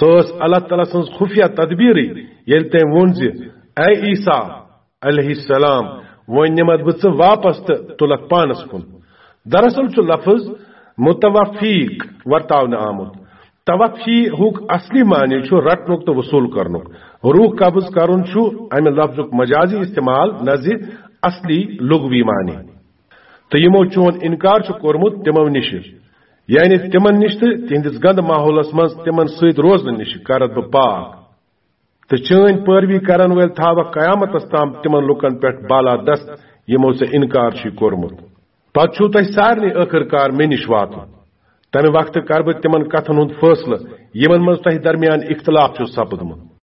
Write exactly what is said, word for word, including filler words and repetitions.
سۄ ٲس اللہ تعالیٰ سٕنٛز خفیہ تدبیرٕے، ییٚلہِ تٔمۍ ووٚن زِ، "اے عیسیٰ علیہ السلام، وۄنۍ نِمتھ بہٕ ژٕ واپس تہٕ تُلکھ پانس کُن۔" دراصل چھُ لفظ متوفیق ورتاونہٕ آمُت۔ توفی ہُک اصلی معنی چھُ رٹنُک تہٕ وصول کرنُک۔ روح قبض کرُن چھُ امہِ لفظُک مجازی استعمال، نہ زِ اصلی لغوی معنی۔ "تہٕ یِمو چون انکار چھُ کوٚرمُت تِمو نِشہِ، یعنی تِمن نِش تہٕ تِہنٛدِس گنٛدٕ ماحولس منٛز تِمن سۭتۍ روزنہٕ نِشہِ کرتھ بہٕ پاک۔ تہٕ چٲنۍ پٲروی کرن وٲلۍ تھاوکھ قیامتس تام تِمن لوٗکن پٮ۪ٹھ بالادست، یِمو ژےٚ انکار چھُے کوٚرمُت۔ پتہٕ چھُو تۄہہِ سارنٕے ٲخٕر کار مےٚ نِش واتُن۔ تمہِ وقتہٕ کرٕ بہٕ تِمن کتھن ہُنٛد فٲصلہٕ، یِمن منٛز تۄہہِ درمیان اختلاف چھُ سپدمُت۔"